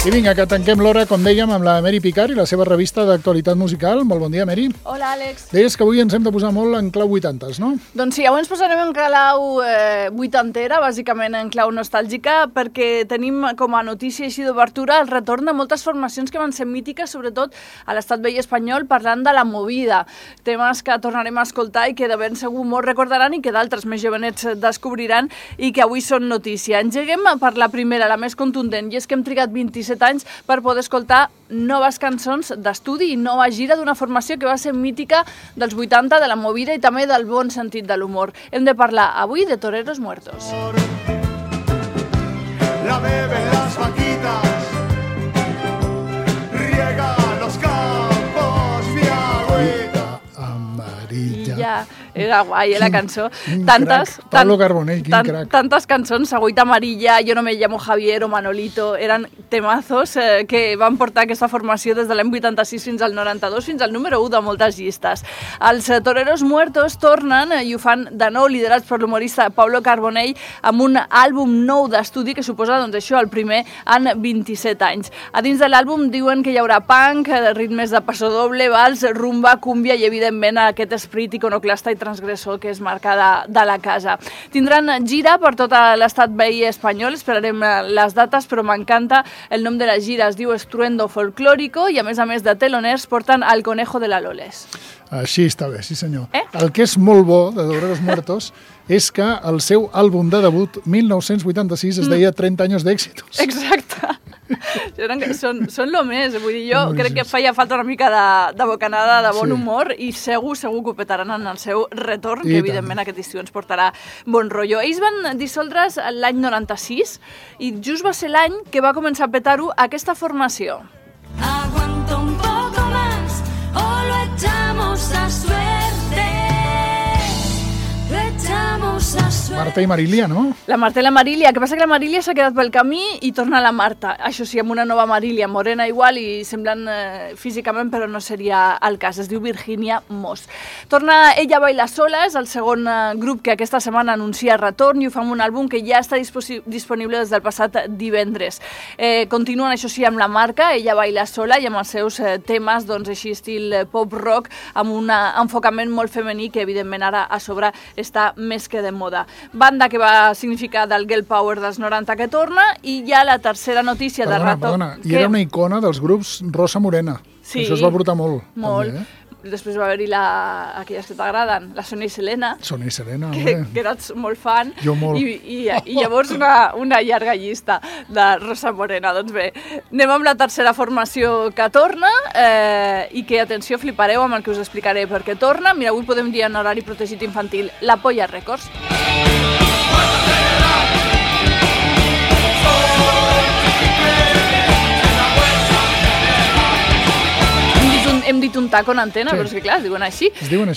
I vinga, que tanquem l'hora, com dèiem, amb la Mary Picard i la seva revista d'actualitat musical. Molt bon dia, Mary. Hola, Àlex. Deies que avui ens hem de posar molt en clau 80s, no? Doncs sí, avui ens posarem en clau 80era, bàsicament en clau nostàlgica, perquè tenim com a notícia així d'obertura el retorn de moltes formacions que van ser mítiques, sobretot a l'estat vell espanyol, parlant de la movida. Temes que tornarem a escoltar i que de ben segur molts recordaran i que d'altres més jovenets descobriran i que avui són notícia. Engeguem per la primera, la més contundent, i és que hem trigat 27 anys per poder escoltar noves cançons d'estudi i nova gira d'una formació que va ser mítica dels 80, de la movida i també del bon sentit de l'humor. Hem de parlar avui de Toreros Muertos. La beben las vaquitas, riega los campos de agüita amarilla. I ja, era guai, la cançó. Pablo Carbonell, quin crac. Tantes cançons, Agüita Amarilla, Yo no me llamo Javier o Manolito, eren temazos que van portar aquesta formació des de l'any 86 fins al 92, fins al número 1 de moltes llistes. Els Toreros Muertos tornen i ho fan de nou, liderats per l'humorista Pablo Carbonell, amb un àlbum nou d'estudi que suposa, doncs això, el primer en 27 anys. A dins de l'àlbum diuen que hi haurà punk, ritmes de passodoble, vals, rumba, cúmbia i, evidentment, aquest esperit iconoclasta i transgressor que és marca de la casa. Tindran gira per tot l'estat veí espanyol, esperarem les dates, però m'encanta el nom de la gira, es diu Estruendo Folclórico i a més de teloners porten El Conejo de la Loles. Així està bé, sí senyor. El que és molt bo de Toreros Muertos és que el seu àlbum de debut, 1986, es deia 30 anys d'èxitos. Exacte. Són lo més, vull dir, jo crec que feia falta una mica de bocanada, de bon humor i segur que ho petaran en el seu retorn, que evidentment aquest estiu ens portarà bon rotllo. Ells van dissoldre's l'any 96 i just va ser l'any que va començar a petar-ho aquesta formació. Aguanto un poco más o lo echamos a suerte. Lo echamos a suerte. Marta i Marília, no? La Marta i la Marília, que passa que la Marília s'ha quedat pel camí i torna la Marta. Això sí, amb una nova Marília, morena igual i semblant físicament, però no seria el cas. Es diu Virginia Moss. Torna Ella Baila Sola, és el segon grup que aquesta setmana anuncia retorn i ho fa amb un àlbum que ja està disponible des del passat divendres. Continuen, això sí, amb la marca Ella Baila Sola i amb els seus temes, doncs així estil pop-rock, amb un enfocament molt femení que evidentment ara a sobre està més que de moda. Banda que va significar del girl power dels 90 que torna i ja la tercera notícia de retorn... Perdona, i era una icona dels grups Rosa Morena. Sí. Això es va portar molt. Molt. També, Després va haver-hi aquelles que t'agraden, la Sonia i Selena. Sonia i Selena, que eres molt fan. Jo molt. I llavors una llarga llista de Rosa Morena. Doncs bé, anem amb la tercera formació que torna i que, atenció, flipareu amb el que us explicaré perquè torna. Mira, avui podem dir en horari protegit infantil, La Polla Records. Hem dit un taco en antena, però és que clar, es diuen així. Es diuen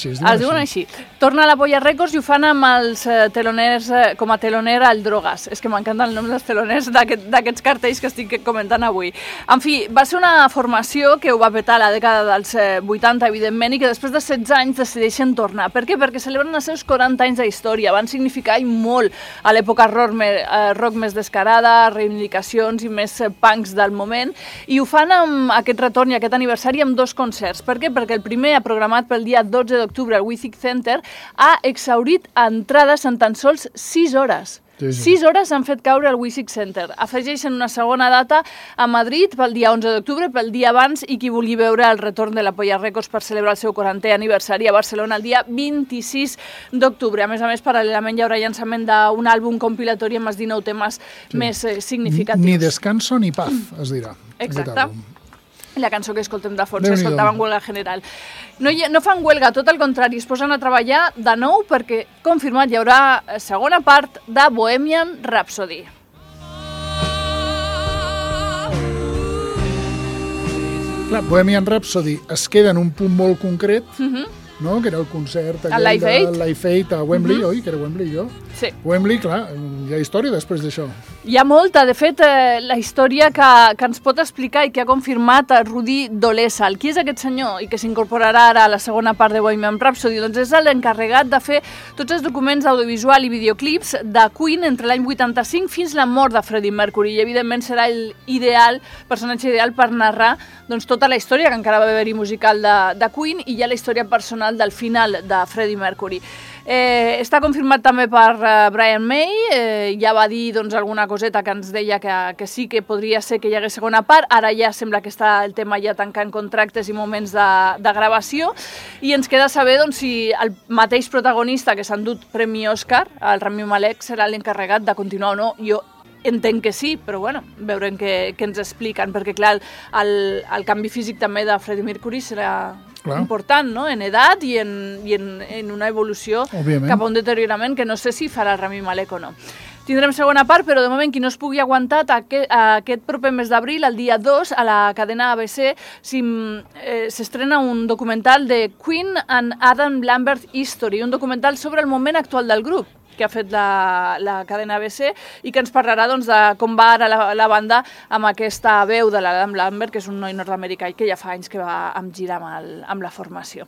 així. Torna a la Polla Records i ho fan amb els teloners, com a teloner al Drogas. És que m'encanten el nom dels teloners d'aquests cartells que estic comentant avui. En fi, va ser una formació que ho va petar a la dècada dels 80, evidentment, i que després de 16 anys decideixen tornar. Per què? Perquè celebren els seus 40 anys d'història. Van significar molt a l'època rock més descarada, reivindicacions i més punks del moment, i ho fan amb aquest retorn i aquest aniversari amb dos concerts. Per què? Perquè el primer, programat pel dia 12 d'octubre al Withig Center, ha exhaurit entrades en tan sols 6 hores. Sí. 6 hores han fet caure al Withig Center. Afegeixen una segona data a Madrid pel dia 11 d'octubre, pel dia abans, i qui vulgui veure el retorn de la Polla Records per celebrar el seu 40è aniversari a Barcelona el dia 26 d'octubre. A més, paral·lelament hi haurà llançament d'un àlbum compilatori amb els 19 temes més significatius. Ni descanso ni paz, es dirà. Exacte. La cançó que escoltem de fons, s'escoltava en huelga general. No fan huelga, tot el contrari, es posen a treballar de nou perquè, confirmat, hi haurà segona part de Bohemian Rhapsody. Clar, Bohemian Rhapsody es queda en un punt molt concret, no? Que era el concert el Live Aid a Wembley, oi? Que era Wembley, jo? Sí. Wembley, clar, hi ha història després d'això. Hi ha molta, de fet, la història que ens pot explicar i que ha confirmat Rudi Dolezal. Qui és aquest senyor i que s'incorporarà ara a la segona part de Bohemian Rhapsody? Doncs és l'encarregat de fer tots els documents audiovisual i videoclips de Queen entre l'any 85 fins la mort de Freddie Mercury, i evidentment serà el personatge ideal per narrar doncs, tota la història que encara va haver-hi musical de Queen i ja la història personal del final de Freddie Mercury. Està confirmat també per Brian May, ja va dir doncs, alguna coseta que ens deia que sí que podria ser que hi hagués segona part, ara ja sembla que està el tema ja tancant contractes i moments de gravació, i ens queda saber doncs, si el mateix protagonista que s'ha endut Premi Òscar, el Rami Malek, serà l'encarregat de continuar o no. Jo entenc que sí, però bueno, veurem què ens expliquen, perquè clar, el canvi físic també de Freddie Mercury serà important, no? En edat i en una evolució cap a un deteriorament que no sé si farà Rami Malek o no. Tindrem segona part, però de moment qui no es pugui aguantar aquest proper mes d'abril, el dia 2, a la cadena ABC, s'estrena un documental de Queen and Adam Lambert History, un documental sobre el moment actual del grup que ha fet la cadena ABC i que ens parlarà doncs, de com va ara la banda amb aquesta veu de l'Adam Lambert, que és un noi nord-americà i que ja fa anys que va amb gira amb la formació.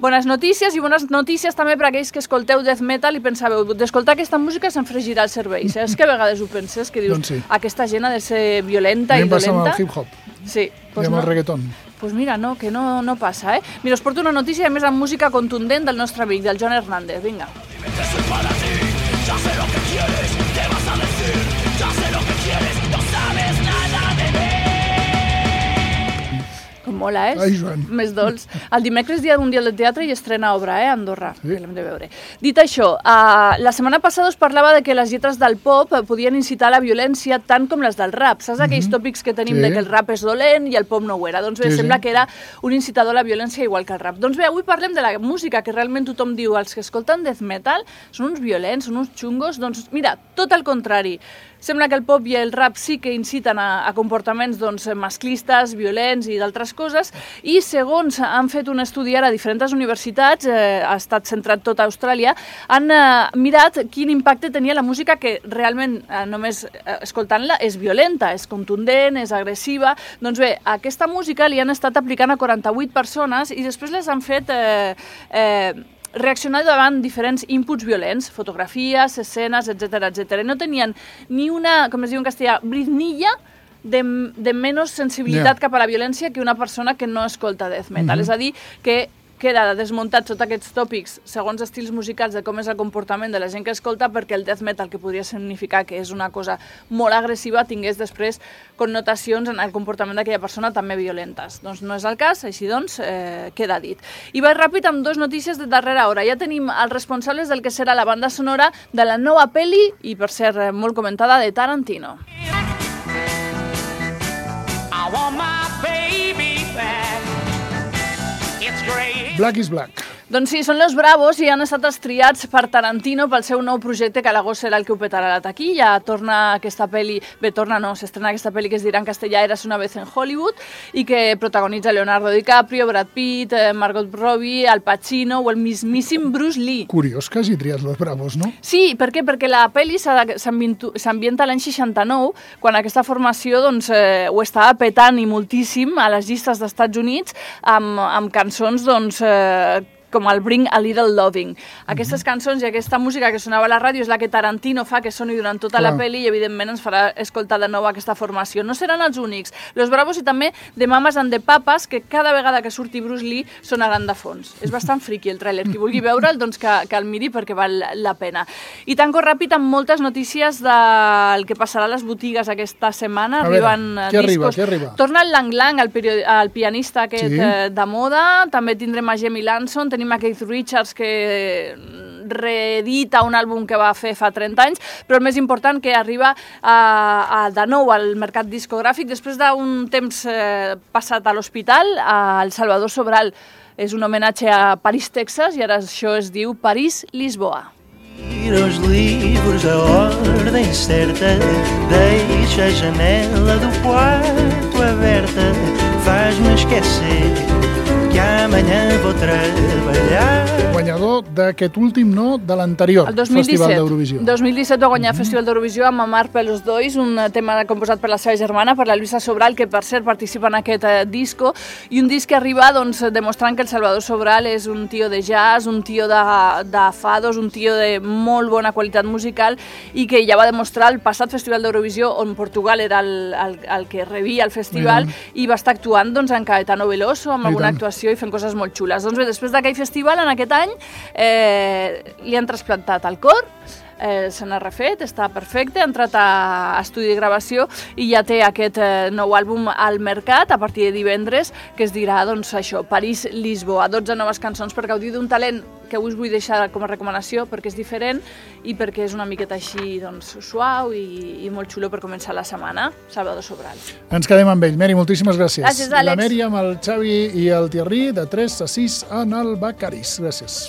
Bones notícies i bones notícies també per aquells que escolteu death metal i pensàveu, d'escoltar aquesta música se'n fregirà el cervell. És que a vegades ho penses, que dius, aquesta gent ha de ser violenta i dolenta. A mi em passa amb el hip-hop. Sí. I amb el reggaeton. Pues mira, no, que no passa, Mira, us porto una notícia, a més, amb música contundent del nostre amic, del Joan Hernández. Vinga. Ya sé lo que quieres, ¿qué vas a decir? Ya sé lo que quieres, no sabes nada de mí. Com mola, Ai, Joan. Més dolç. El dimecres, dia mundial del teatre, i estrena obra, a Andorra, que l'hem de veure. Dit això, la setmana passada us parlava de que les lletres del pop podien incitar a la violència tant com les del rap. Saps aquells tòpics que tenim de que el rap és dolent i el pop no ho era? Doncs bé, sembla que era un incitador a la violència igual que el rap. Doncs bé, avui parlem de la música, que realment tothom diu, els que escolten death metal són uns violents, són uns xungos. Doncs mira, tot el contrari. Sembla que el pop i el rap sí que inciten a comportaments doncs, masclistes, violents i d'altres coses, i segons han fet un estudi ara a diferents universitats, ha estat centrat tot a Austràlia, han mirat quin impacte tenia la música que realment, només escoltant-la, és violenta, és contundent, és agressiva. Doncs bé, aquesta música li han estat aplicant a 48 persones i després les han fet reaccionar davant diferents inputs violents, fotografies, escenes, etc. I no tenien ni una, com es diu en castellà, britnilla de menys sensibilitat cap a la violència que una persona que no escolta death metal. És a dir, que queda desmuntat tots aquests tòpics segons estils musicals de com és el comportament de la gent que escolta, perquè el death metal, que podria significar que és una cosa molt agressiva, tingués després connotacions en el comportament d'aquella persona també violentes. Doncs no és el cas, així doncs queda dit. I vaig ràpid amb dues notícies de darrera hora. Ja tenim els responsables del que serà la banda sonora de la nova pel·li, i per ser molt comentada, de Tarantino. I want my baby back. It's great. Black is Black. Doncs sí, són Los Bravos i han estat estriats per Tarantino pel seu nou projecte, que a l'agost serà el que ho petarà la taquilla. Torna aquesta pel·li, s'estrena aquesta pel·li que es dirà en castellà Eras una vez en Hollywood, i que protagonitza Leonardo DiCaprio, Brad Pitt, Margot Robbie, Al Pacino o el mismíssim Bruce Lee. Curiós que hagi triat Los Bravos, no? Sí, per què? Perquè la pel·li s'ambienta l'any 69, quan aquesta formació doncs, ho estava petant i moltíssim a les llistes d'Estats Units amb cançons doncs, com el Bring a Little Loving. Aquestes cançons i aquesta música que sonava a la ràdio és la que Tarantino fa que soni durant tota la pel·li, i evidentment ens farà escoltar de nou aquesta formació. No seran els únics. Los Bravos i també The Mamas and the Papas, que cada vegada que surti Bruce Lee sonaran de fons. És bastant friqui el tràiler. Qui vulgui veure'l, doncs que el miri perquè val la pena. I tanco ràpid amb moltes notícies del que passarà a les botigues aquesta setmana. Arriben discos. Què arriba? Torna el Lang Lang, el pianista aquest de moda. També tindrem a Jamie Lanson, tenim a Keith Richards, que reedita un àlbum que va fer fa 30 anys, però el més important, que arriba de nou al mercat discogràfic després d'un temps passat a l'hospital, el Salvador Sobral. És un homenatge a París, Texas, i ara això es diu París-Lisboa. Os livros a ordem certa, deixa a janela do quarto aberta, faz-me esquecer que amanhã vou trabalhar. Guanyador d'aquest últim, no, de l'anterior El 2017. Festival d'Eurovisió. 2017 va guanyar el Festival d'Eurovisió amb Amar pelos dois, un tema composat per la seva germana, per la Luisa Sobral, que per cert participa en aquest disco, i un disc que arriba doncs, demostrant que el Salvador Sobral és un tio de jazz, un tio de fados, un tio de molt bona qualitat musical i que ja va demostrar el passat Festival d'Eurovisió on Portugal era el que rebia el festival i va estar actuant doncs, en Caetano Veloso amb alguna actuació i fent coses molt xules. Doncs bé, després d'aquell festival, en aquest any, li han trasplantat el cor, se n'ha refet, està perfecte, ha entrat a estudi de gravació i ja té aquest nou àlbum al mercat a partir de divendres, que es dirà, doncs, això, París-Lisboa, 12 noves cançons per gaudir d'un talent que us vull deixar com a recomanació perquè és diferent i perquè és una miqueta així, doncs, suau i molt xulo per començar la setmana. Salvador Sobral. Ens quedem amb ell. Meri, moltíssimes gràcies. Gràcies, Àlex. La Meri amb el Xavi i el Thierry de 3 a 6 en el Becaris. Gràcies.